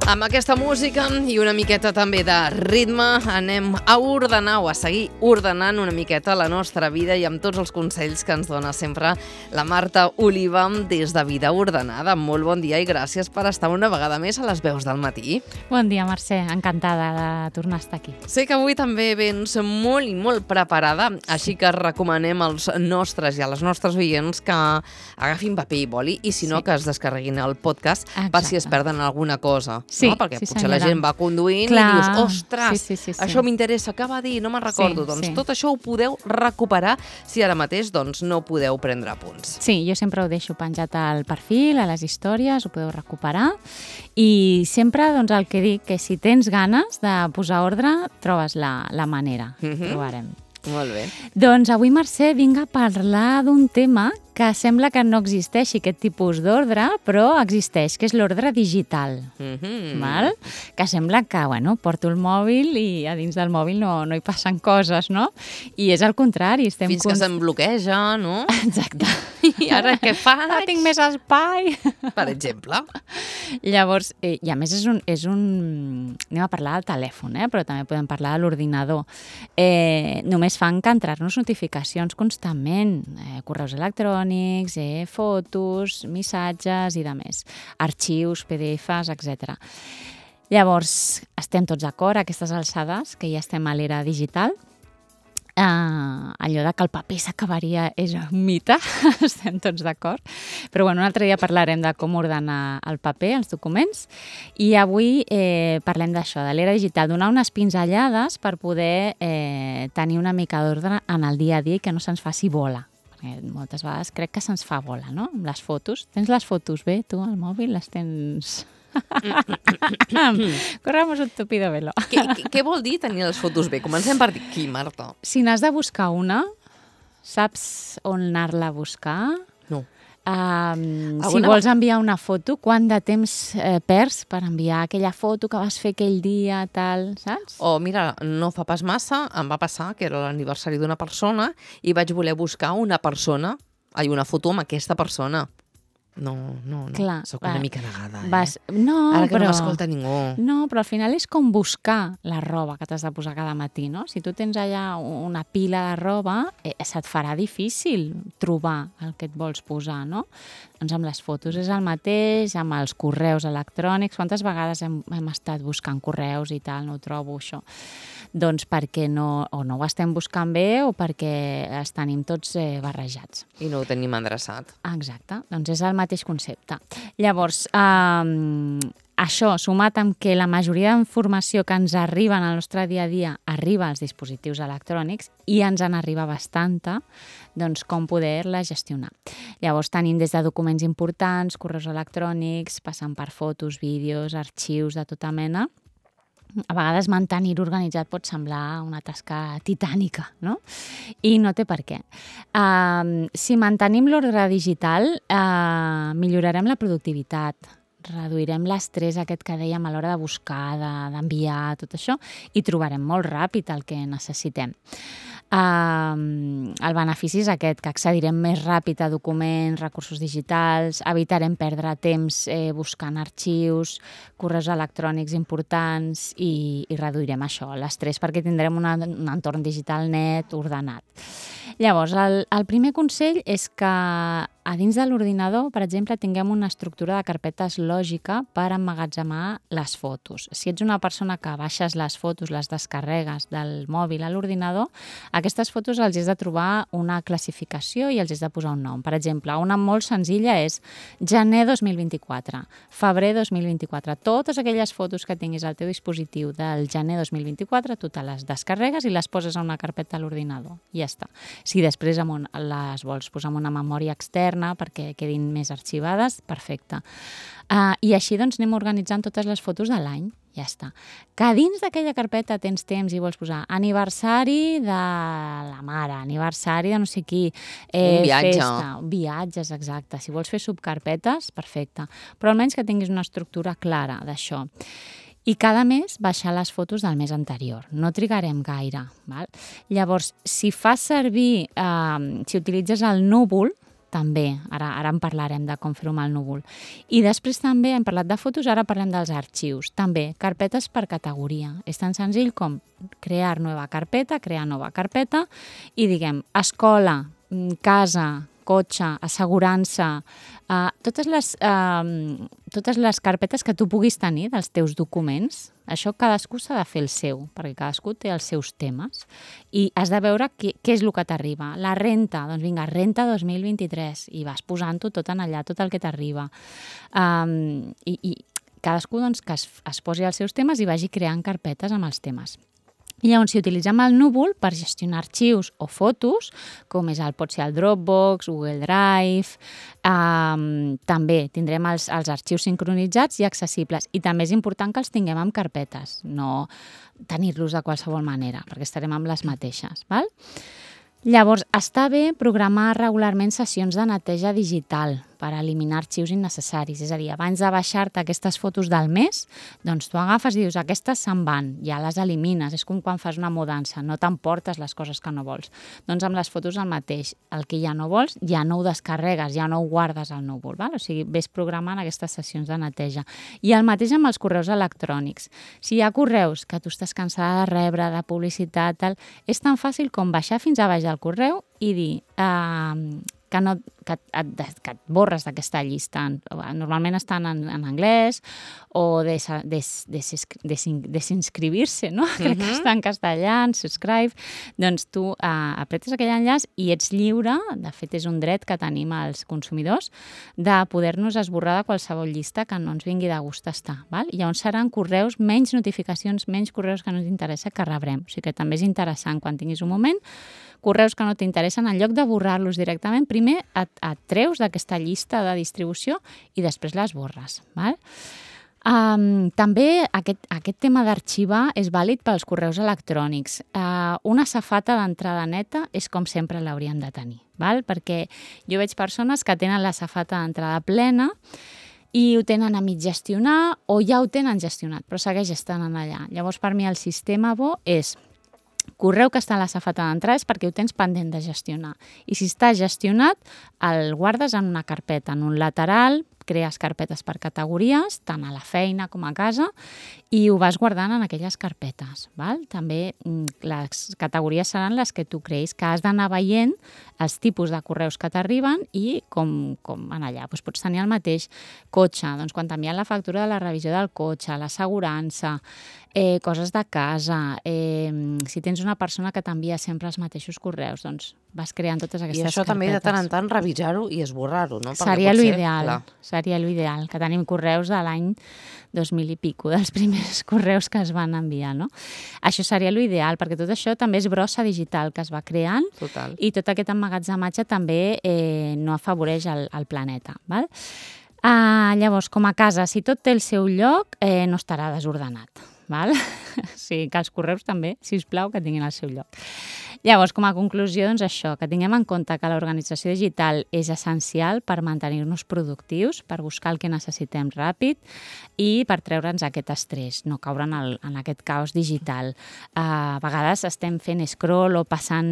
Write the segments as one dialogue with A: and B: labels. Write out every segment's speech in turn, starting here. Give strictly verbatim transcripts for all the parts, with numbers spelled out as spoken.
A: Amb aquesta música i una miqueta també de ritme anem a ordenar o a seguir ordenant una miqueta la nostra vida i amb tots els consells que ens dona sempre la Marta Oliva des de Vida Ordenada. Molt bon dia i gràcies per estar una vegada més a les veus del matí.
B: Bon dia, Mercè. Encantada de tornar a estar aquí.
A: Sé que avui també vens molt i molt preparada, així que recomanem als nostres i a les nostres oients que agafin paper i boli i si no
B: Sí.
A: que es descarreguin el podcast
B: Exacte.
A: per si es perden alguna cosa.
B: Sí,
A: no? Perquè
B: sí,
A: potser la
B: senyora.
A: gent va conduint
B: Clar.
A: i dius, ostres,
B: Sí, sí, sí, sí.
A: això m'interessa, què va dir? No me'n recordo.
B: Sí,
A: doncs
B: sí.
A: tot això ho podeu recuperar si ara mateix doncs, no podeu prendre apunts.
B: Sí, jo sempre ho deixo penjat al perfil, a les històries, ho podeu recuperar. I sempre doncs, el que dic, que si tens ganes de posar ordre, trobes la, la manera.
A: Mhm.
B: Trobarem.
A: Molt bé.
B: Doncs avui, Mercè, vinc a parlar d'un tema que sembla que no existeixi aquest tipus d'ordre, però existeix, que és l'ordre digital.
A: Mhm.
B: Val? Que sembla que, bueno, porto el mòbil i a dins del mòbil no, no hi passen coses, no? I és al contrari. Estem
A: Fins que
B: cons-
A: se'n bloqueja, no?
B: Exacte.
A: I ara què faig?
B: Ara tinc més espai.
A: Per exemple.
B: Llavors, eh, i a més és un, és un... Anem a parlar del telèfon, eh? Però també podem parlar de l'ordinador. Eh, només fan que entrar-nos notificacions constantment, eh, correus electrònics, eh, fotos, missatges i de més, arxius, P D Fs, etcètera. Llavors, estem tots d'acord a aquestes alçades, que ja estem a l'era digital. Uh, allò de que el paper s'acabaria és un mite, estem tots d'acord. Però bueno, un altre dia parlarem de com ordenar el paper, els documents, i avui eh, parlem d'això, de l'era digital, donar unes pinzellades per poder eh, tenir una mica d'ordre en el dia a dia i que no se'ns faci bola. Perquè moltes vegades crec que se'ns fa bola, no? Amb les fotos. Tens les fotos bé, tu, al mòbil? Les tens... Corramos un tupido velo.
A: Què, què, què vol dir tenir les fotos bé? Comencem per aquí, Marta.
B: Si n'has de buscar una, saps on anar-la a buscar?
A: No.
B: Um, si
A: Alguna-
B: vols enviar una foto, quant de temps eh, perds per enviar aquella foto que vas fer aquell dia, tal, saps?
A: O mira, no fa pas massa, em va passar que era l'aniversari d'una persona i vaig voler buscar una persona, ai, una foto amb aquesta persona. No, no, no.
B: Clar,
A: Soc
B: va,
A: una mica negada, eh?
B: Vas... No,
A: Ara que
B: però...
A: no m'escolta ningú.
B: No, però al final és com buscar la roba que t'has de posar cada matí, no? Si tu tens allà una pila de roba, eh, se't farà difícil trobar el que et vols posar, no? Doncs amb les fotos és el mateix, amb els correus electrònics. Quantes vegades hem, hem estat buscant correus i tal, no ho trobo, això? Doncs perquè no, o no ho estem buscant bé o perquè els tenim tots eh, barrejats.
A: I no ho tenim endreçat.
B: Exacte, doncs és el mateix concepte. Llavors, eh, això, sumat amb que la majoria d'informació que ens arriba en el nostre dia a dia arriba als dispositius electrònics i ens en arriba bastanta, doncs com poder-la gestionar. Llavors tenim des de documents importants, correus electrònics, passant per fotos, vídeos, arxius de tota mena. A vegades mantenir organitzat pot semblar una tasca titànica, no? I no té per què. Uh, si mantenim l'ordre digital, uh, millorarem la productivitat, reduirem l'estrès aquest que dèiem a l'hora de buscar, de, d'enviar, tot això, i trobarem molt ràpid el que necessitem. Uh, el benefici és aquest, que accedirem més ràpid a documents, recursos digitals, evitarem perdre temps eh, buscant arxius, correus electrònics importants i, i reduirem això, l'estrès, perquè tindrem una, un entorn digital net, ordenat. Llavors, el, el primer consell és que a dins de l'ordinador, per exemple, tinguem una estructura de carpetes lògica per emmagatzemar les fotos. Si ets una persona que baixes les fotos, les descarregues del mòbil a l'ordinador, aquestes fotos els has de trobar una classificació i els has de posar un nom. Per exemple, una molt senzilla és gener dos mil vint-i-quatre, febrer dos mil vint-i-quatre. Totes aquelles fotos que tinguis al teu dispositiu del gener dos mil vint-i-quatre, tu te les descarregues i les poses a una carpeta a l'ordinador. I ja està. Si després les vols posar en una memòria externa perquè quedin més arxivades, perfecte. Uh, I així doncs anem organitzant totes les fotos de l'any. Ja està. Que dins d'aquella carpeta tens temps i vols posar aniversari de la mare, aniversari de no sé qui, eh,
A: Un viatge.
B: festa, viatges, exacte. Si vols fer subcarpetes, perfecte. Però almenys que tinguis una estructura clara d'això. I cada mes baixar les fotos del mes anterior. No trigarem gaire. Val? Llavors, si fas servir, eh, si utilitzes el núvol, també. Ara, ara en parlarem de com fer-ho amb el núvol. I després també hem parlat de fotos, ara parlem dels arxius. També, carpetes per categoria. És tan senzill com crear nova carpeta, crear nova carpeta i diguem escola, casa, cotxe, assegurança, uh, totes, les, uh, totes les carpetes que tu puguis tenir dels teus documents, això cadascú s'ha de fer el seu, perquè cadascú té els seus temes i has de veure què, què és el que t'arriba. La renta, doncs vinga, renta dos mil vint-i-tres i vas posant-ho tot en allà, tot el que t'arriba. Um, i, I cadascú doncs, que es, es posi els seus temes i vagi creant carpetes amb els temes. I llavors, si utilitzem el núvol per gestionar arxius o fotos, com és el, pot ser el Dropbox, Google Drive, um, també tindrem els, els arxius sincronitzats i accessibles. I també és important que els tinguem amb carpetes, no tenir-los de qualsevol manera, perquè estarem amb les mateixes, val? Llavors, està bé programar regularment sessions de neteja digital per eliminar arxius innecessaris. És a dir, abans de baixar-te aquestes fotos del mes, doncs tu agafes i dius, aquestes se'n van, ja les elimines. És com quan fas una mudança, no t'emportes les coses que no vols. Doncs amb les fotos el mateix. El que ja no vols, ja no ho descarregues, ja no ho guardes al núvol. Val? O sigui, ves programant aquestes sessions de neteja. I el mateix amb els correus electrònics. Si hi ha correus que tu estàs cansada de rebre, de publicitat, tal, és tan fàcil com baixar fins a baix del correu i dir uh, que, no, que, et, que et borres d'aquesta llista. Normalment estan en, en anglès o des, des, des, des, desinscribir-se, no? Uh-huh. Crec que està en castellà, en subscribe. Doncs tu uh, apretes aquell enllaç i ets lliure, de fet és un dret que tenim els consumidors, de poder-nos esborrar de qualsevol llista que no ens vingui de gust estar. Val? I llavors seran correus, menys notificacions, menys correus que no ens interessa que rebrem. O sigui que també és interessant quan tinguis un moment, correus que no t'interessen, en lloc de borrar-los directament, primer et, et treus d'aquesta llista de distribució i després les borres. Val? Um, també aquest, aquest tema d'arxivar és vàlid pels correus electrònics. Uh, una safata d'entrada neta és com sempre l'hauríem de tenir, val? Perquè jo veig persones que tenen la safata d'entrada plena i ho tenen a mig gestionar o ja ho tenen gestionat, però segueix estant allà. Llavors, per mi, el sistema bo és correu que està a la safata d'entrada és perquè ho tens pendent de gestionar. I si està gestionat, el guardes en una carpeta, en un lateral, crees carpetes per categories, tant a la feina com a casa, i ho vas guardant en aquelles carpetes. Val? També les categories seran les que tu creis que has d'anar veient els tipus de correus que t'arriben i com, com en allà. Doncs pots tenir el mateix cotxe, doncs quan t'envien la factura de la revisió del cotxe, l'assegurança, eh, coses de casa, eh, si tens una persona que t'envia sempre els mateixos correus, doncs vas creant totes aquestes carpetes.
A: I això també de tant en tant revisar-ho i esborrar-ho, no? Perquè
B: seria
A: potser,
B: l'ideal,
A: clar.
B: seria l'ideal, que tenim correus de l'any dos mil i pico, dels primers correus que es van enviar, no? Això seria l'ideal, perquè tot això també és brossa digital que es va creant.
A: Total.
B: I tot aquest emmagatzematge també eh, no afavoreix el, el planeta. Val? Uh, llavors, com a casa, si tot té el seu lloc, eh, no estarà desordenat. Val? Sí, que els correus també, sisplau, que tinguin el seu lloc. Llavors, com a conclusió, doncs això, que tinguem en compte que l'organització digital és essencial per mantenir-nos productius, per buscar el que necessitem ràpid i per treure'ns aquest estrès, no caure en, el, en aquest caos digital. Uh, a vegades estem fent scroll o passant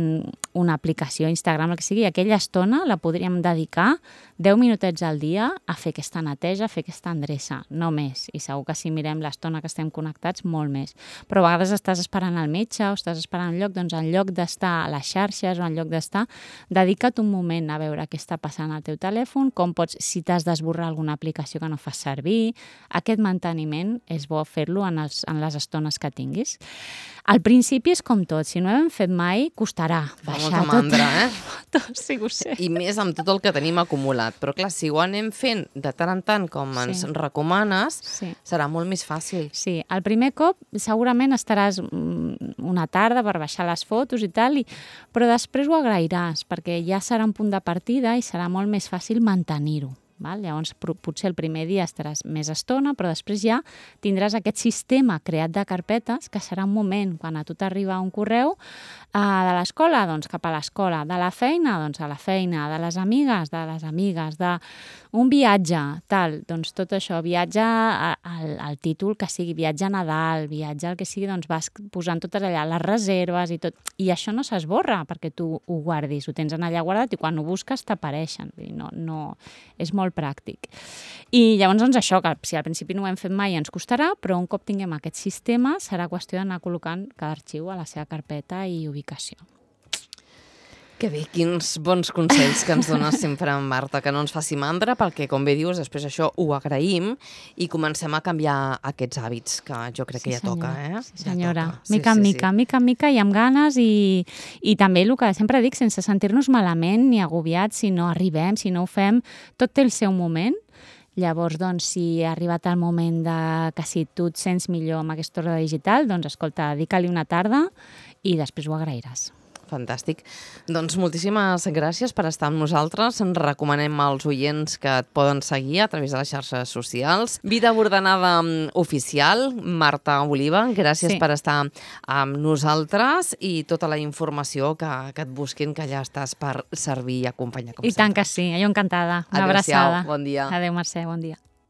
B: una aplicació, Instagram, el que sigui, aquella estona la podríem dedicar deu minutets al dia a fer aquesta neteja, a fer aquesta endreça, no més. I segur que si mirem l'estona que estem connectats, molt més. Però a vegades estàs esperant al metge o estàs esperant un lloc, doncs en lloc d'estar a les xarxes o en lloc d'estar, dedica't un moment a veure què està passant al teu telèfon, com pots, si t'has d'esborrar alguna aplicació que no fas servir. Aquest manteniment és bo fer-lo en, els, en les estones que tinguis. Al principi és com tot, si no ho hem fet mai, costarà baixar
A: molta mandra,
B: tot.
A: eh?
B: tot, sí, ho sé.
A: I més amb tot el que tenim acumulat. Però clar, si ho anem fent de tant en tant com ens
B: Sí.
A: recomanes,
B: Sí.
A: serà molt més fàcil.
B: Sí, el primer cop segurament estaràs mm, una tarda per baixar les fotos i tal, i, però després ho agrairàs, perquè ja serà un punt de partida i serà molt més fàcil mantenir-ho. Val? Llavors, potser el primer dia estaràs més estona, però després ja tindràs aquest sistema creat de carpetes, que serà un moment, quan a tu t'arriba un correu eh, de l'escola, doncs cap a l'escola, de la feina, doncs a la feina, de les amigues, de les amigues, d'un viatge, tal, doncs tot això, viatge al, al títol que sigui viatge a Nadal, viatge al que sigui, doncs vas posant totes allà les reserves i tot, i això no s'esborra perquè tu ho guardis, ho tens allà guardat i quan ho busques t'apareixen, no, no, és molt pràctic. I llavors, doncs, això, que si al principi no ho hem fet mai ens costarà, però un cop tinguem aquest sistema serà qüestió d'anar col·locant cada arxiu a la seva carpeta i ubicació.
A: Que bé, quins bons consells que ens dones sempre, Marta, que no ens faci mandra, perquè, com bé dius, després això ho agraïm i comencem a canviar aquests hàbits, que jo crec que ja toca, eh?
B: Sí, senyora.
A: Ja toca.
B: Mica en mica, mica en mica i amb ganes i, i també el que sempre dic, sense sentir-nos malament ni agobiats si no arribem, si no ho fem, tot té el seu moment. Llavors, doncs, si ha arribat el moment de que si tu et sents millor amb aquesta ordre digital, doncs, escolta, dedica-li una tarda i després ho agrairàs.
A: Fantàstic. Doncs moltíssimes gràcies per estar amb nosaltres. Ens recomanem als oients que et poden seguir a través de les xarxes socials. Vida ordenada oficial, Marta Oliva, gràcies sí. per estar amb nosaltres i tota la informació que, que et busquin, que ja estàs per servir i acompanyar com
B: I
A: sempre.
B: tant que sí, jo encantada. Una
A: Adéu-siau,
B: abraçada.
A: bon dia.
B: Adéu, Mercè, bon dia.